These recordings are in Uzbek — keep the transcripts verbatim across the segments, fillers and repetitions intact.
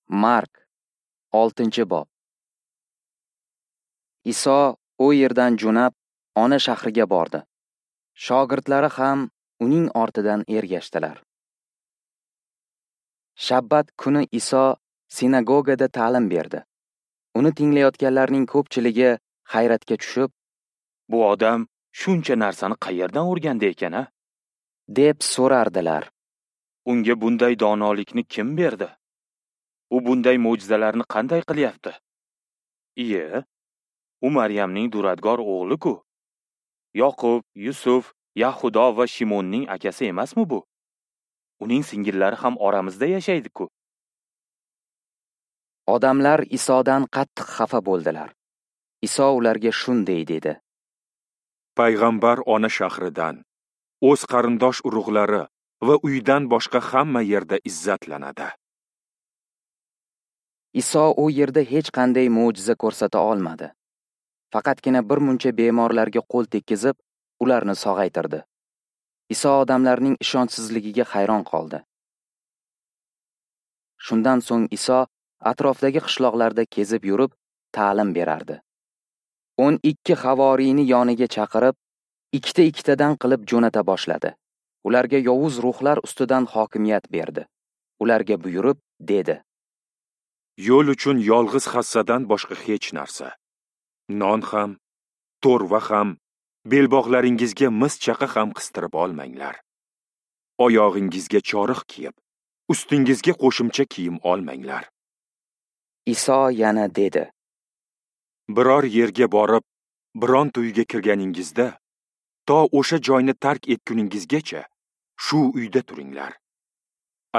Mark, oltinchi bob. Iso u yerdan jo'nab, ona shahriga bordi. Shogirdlari ham uning ortidan ergashdilar. Shabbat kuni Iso sinagogada ta'lim berdi. Uni tinglayotganlarning ko'pchiligi hayratga tushib, "Bu odam shuncha narsani qayerdan o'rgandi ekan, a?" deb so'rardilar. "Unga bunday donolikni kim berdi? U bunday mo'jizalarni qanday qilyapti? Iye, u Maryamning duradgor o'g'li-ku. Yoqub, Yusuf, Yahudo va Shimonning akasi emasmi bu? Uning singillari ham oramizda yashaydi-ku." Odamlar Isodan qattiq xafa bo'ldilar. Iso ularga shunday dedi: Payg'ambar ona shahridan, o'z qarindosh urug'lari va uydan boshqa hamma yerda izzatlanadi. Iso u yerda hech qanday mo'jiza ko'rsata olmadi. Faqatgina bir muncha bemorlarga qo'l tekkizib, ularni sog'aytirdi. Iso odamlarning ishonchsizligiga hayron qoldi. Shundan so'ng Iso atrofdagi qishloqlarda kezib yurib, ta'lim berardi. O'n ikki havoriyni yoniga chaqirib, ikkita-ikkitadan qilib jo'nata boshladi. Ularga yovuz ruhlar ustidan hokimiyat berdi. Ularga buyurib dedi: Yo'l uchun yolg'iz hassadan boshqa hech narsa, non ham, to'rva ham, belbog'laringizga mis chaqa ham qistirib olmanglar. Oyog'ingizga choriq kiyib, ustingizga qo'shimcha kiyim olmanglar. Iso yana dedi: Biror yerga borib, biron uyga kirganingizda, to o'sha joyni tark etguningizgacha shu uyda turinglar.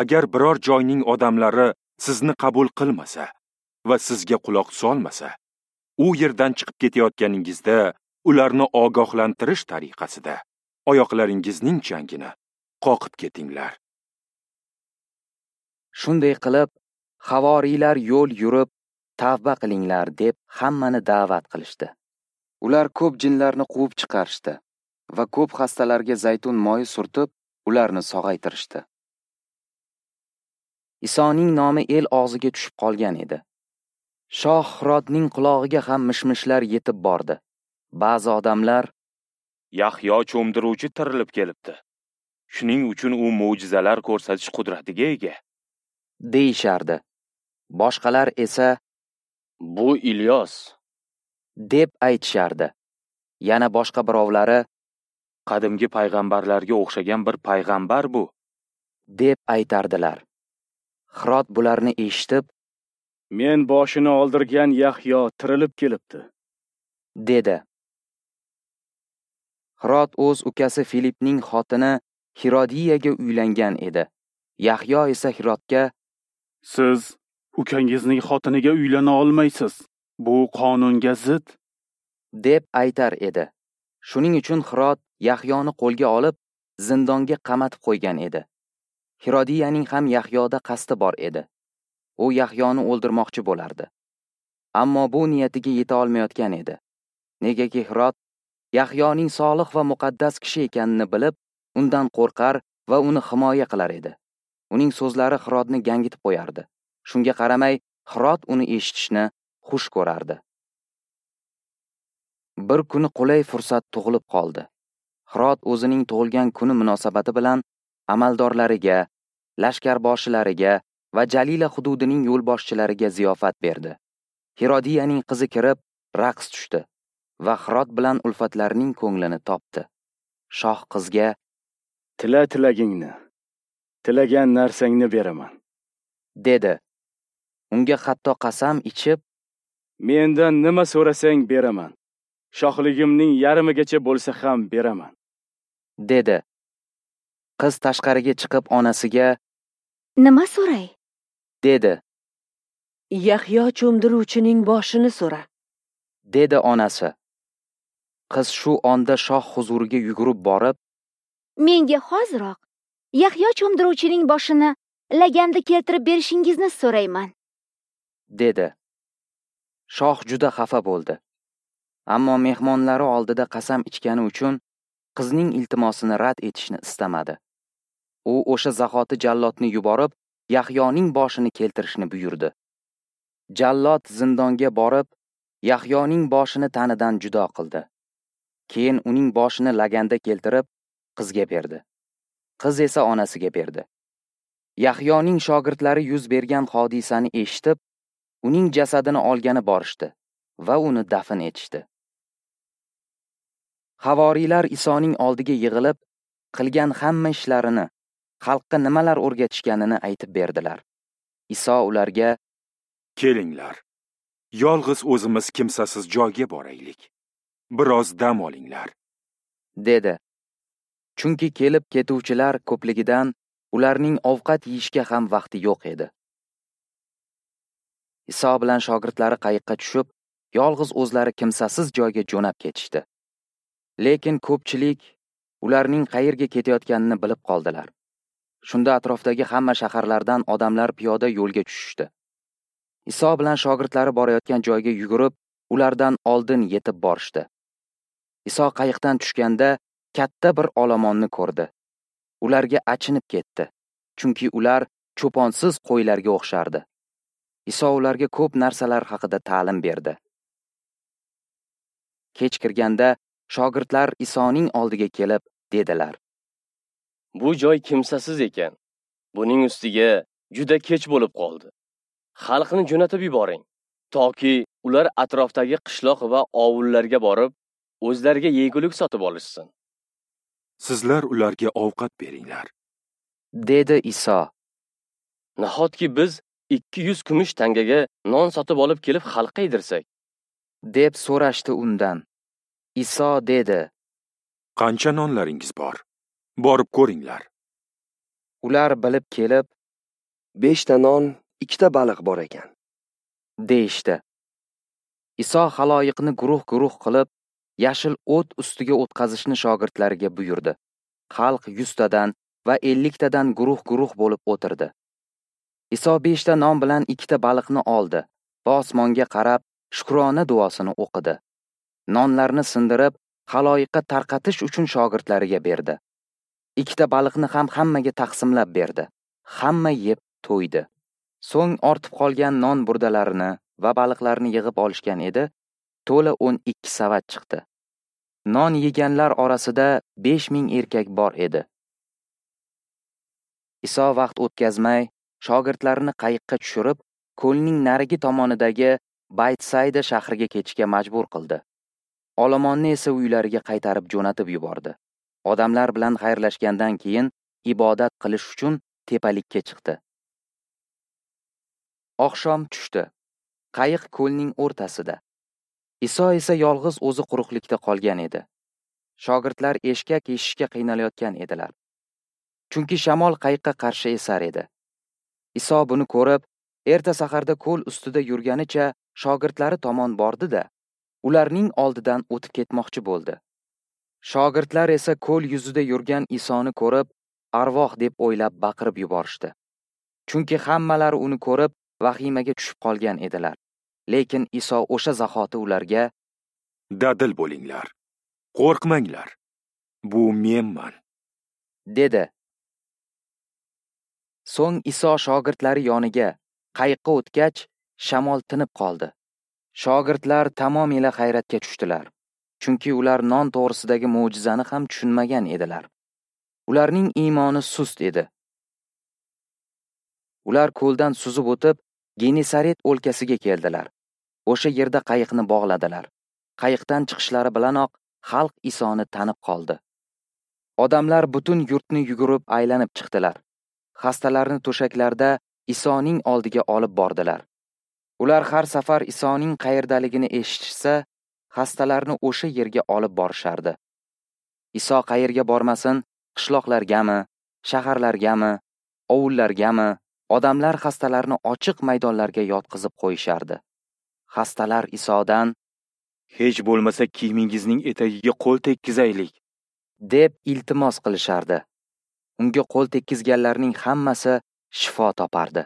Agar biror joyning odamlari sizni qabul qilmasa va sizga quloq solmasa, u yerdan chiqib ketayotganingizda ularni ogohlantirish tariqasida oyoqlaringizning changini qoqib ketinglar. Shunday qilib, havoriylar yo'l yurib, tavba qilinglar deb hammani da'vat qilishdi. Ular ko'p jinlarni quvib chiqarishdi va ko'p xastalarga zaytun moyi surtib, ularni sog'aytirishdi. Isoning nomi el og'ziga tushib qolgan edi. Shoh Hirodning qulog'iga ham mishmishlar yetib bordi. Ba'zi odamlar: "Yahyo cho'mdiruvchi tirilib kelibdi. Shuning uchun u mo'jizalar ko'rsatish qudratiga ega" deyishardi. Boshqalar esa: "Bu Ilyos" deb aytishardi. Yana boshqa birovlari: "Qadimgi payg'ambarlarga o'xshagan bir payg'ambar bu" deb aytardilar. Hirod bularni eshitib, "Men boshini oldirgan Yahyo tirilib kelibdi" dedi. Hirod o'z ukasi Filipning xotini Hirodiyaga uylangan edi. Yahyo esa Hirodga: "Siz ukangizning xotiniga uylana olmaysiz. Bu qonunga zid" deb aytar edi. Shuning uchun Hirod Yahyoni qo'lga olib, zindonga qamatib qo'ygan edi. Hirodiyaning ham Yahyoda qasdi bor edi. U Yahyoni o'ldirmoqchi bo'lardi. Ammo bu niyatiga yeta olmayotgan edi. Negaki Hirod Yahyoning solih va muqaddas kishi ekanini bilib, undan qo'rqar va uni himoya qilar edi. Uning so'zlari Hirodni gangitib qo'yardi. Shunga qaramay, Hirod uni eshitishni xush ko'rardi. Bir kuni qulay fursat tug'ilib qoldi. Hirod o'zining tug'ilgan kuni munosabati bilan amaldorlariga, lashkarboshilariga va Jalila hududining yo'lboshchilariga ziyofat berdi. Hirodiyaning qizi kirib, raqs tushdi va Hirod bilan ulfatlarining ko'nglini topdi. Shoh qizga: "Tila tilagingni, tilagan narsangni beraman" dedi. Unga hatto qasam ichib, "Mendan nima so'rasang beraman. Shohligimning yarmigacha bo'lsa ham beraman" dedi. Qiz tashqariga chiqib onasiga: "Nima so'ray?" dedi. "Yahyo cho'mdiruvchining boshini so'ra" dedi onasi. Qiz shu onda shoh huzuriga yugurib borib, "Menga hoziroq Yahyo cho'mdiruvchining boshini laganda keltirib berishingizni so'rayman" dedi. Shoh juda xafa bo'ldi. Ammo mehmonlari oldida qasam ichgani uchun qizning iltimosini rad etishni istamadi. U o'sha zahoti jallodni yuborib, Yahyoning boshini keltirishni buyurdi. Jallod zindonga borib, Yahyoning boshini tanidan judo qildi. Keyin uning boshini laganda keltirib, qizga berdi. Qiz esa onasiga berdi. Yahyoning shogirdlari yuz bergan hodisani eshitib, uning jasadini olgani borishdi va uni dafn etishdi. Havoriylar Isoning oldiga yig'ilib, qilgan hamma ishlarini, xalqqa nimalar o'rgatishganini aytib berdilar. Iso ularga: "Kelinglar, yolg'iz o'zimiz kimsasiz joyga boraylik. Biroz dam olinglar", dedi. Chunki kelib ketuvchilar ko'pligidan ularning ovqat yeyishga ham vaqti yo'q edi. Iso bilan shogirdlari qayiqqa tushib, yolg'iz o'zlari kimsasiz joyga jo'nab ketishdi. Lekin ko'pchilik ularning qayerga ketayotganini bilib qoldilar. Shunda atrofdagi hamma shaharlardan odamlar piyoda yo'lga tushishdi. Iso bilan shogirdlari borayotgan joyga yugurib, ulardan oldin yetib borishdi. Iso qayiqdan tushganda katta bir olomonni ko'rdi. Ularga achinib ketdi, chunki ular cho'ponsiz qo'ylarga o'xshardi. Iso ularga ko'p narsalar haqida ta'lim berdi. Kech kirganda shogirdlar Isoning oldiga kelib dedilar: "Bu joy kimsasiz ekan. Buning ustiga juda kech bo'lib qoldi. Xalqni jo'natib yuboring, toki ular atrofdagi qishloq va ovullarga borib, o'zlariga yegulik sotib olishsin." "Sizlar ularga ovqat beringlar", dedi Iso. "Nahotki biz ikki yuz kumush tangaga non sotib olib kelib xalqqa yedirsak?" deb so'rashdi undan. Iso dedi: "Qancha nonlaringiz bor? Borib ko'ringlar." Ular bilib kelib, "Beshta non, ikkita baliq bor ekan", deyishdi. Iso xaloyiqni guruh-guruh qilib, yashil o't ustiga o'tqazishni shogirdlariga buyurdi. Xalq yuztadan va elliktadan guruh-guruh bo'lib o'tirdi. Iso beshta non bilan ikkita baliqni oldi va osmonga qarab shukrona duosini o'qidi. Nonlarni sindirib, xaloyiqqa tarqatish uchun shogirdlariga berdi. Ikkita baliqni ham hammaga taqsimlab berdi. Hamma yeb to'ydi. So'ng ortib qolgan non burdalarini va baliqlarni yig'ib olishgan edi, to'la o'n ikki savat chiqdi. Non yeganlar orasida besh ming erkak bor edi. Iso vaqt o'tkazmay, shogirdlarini qayiqqa tushirib, ko'lning narigi tomonidagi Baytsayda shahriga ketishga majbur qildi. Olomonni esa uylariga qaytarib jo'natib yubordi. Odamlar bilan xayrlashgandan keyin ibodat qilish uchun tepalikka chiqdi. Oqshom tushdi. Qayiq ko'lning o'rtasida. Iso esa yolg'iz o'zi quruqlikda qolgan edi. Shogirdlar eshkak eshishga qiynalayotgan edilar. Chunki shamol qayiqqa qarshi esar edi. Iso buni ko'rib, erta saharda ko'l ustida yurganicha shogirdlari tomon bordi-da, ularning oldidan o'tib ketmoqchi bo'ldi. Shogirdlar esa ko'l yuzida yurgan Isoni ko'rib, arvoh deb o'ylab baqirib yuborishdi. Chunki hammalari uni ko'rib, vahimaga tushib qolgan edilar. Lekin Iso o'sha zahoti ularga: "Dadil bo'linglar, qo'rqmanglar. Bu menman", dedi. So'ng Iso shogirdlari yoniga qayiqqa o'tgach, shamol tinib qoldi. Shogirdlar tamomila hayratga tushdilar. Chunki ular non to'g'risidagi mo'jizani ham tushunmagan edilar. Ularning iymoni sust edi. Ular ko'ldan suzib o'tib, Genesaret o'lkasiga keldilar. O'sha yerda qayiqni bog'ladilar. Qayiqdan chiqishlari bilanoq xalq Isoni tanib qoldi. Odamlar butun yurtni yugurib aylanib chiqdilar. Xastalarni to'shaklarda Isoning oldiga olib bordilar. Ular har safar Isoning qayerdaligini eshitishsa, xastalarni o'sha yerga olib borishardi. Iso qayerga bormasin, qishloqlargami, shaharlargami, ovullargami, odamlar xastalarni ochiq maydonlarga yotqizib qo'yishardi. Xastalar Isodan: "Hech bo'lmasa kiyimingizning etagiga qo'l tekkizaylik", deb iltimos qilishardi. Unga qo'l tekkizganlarning hammasi shifo topardi.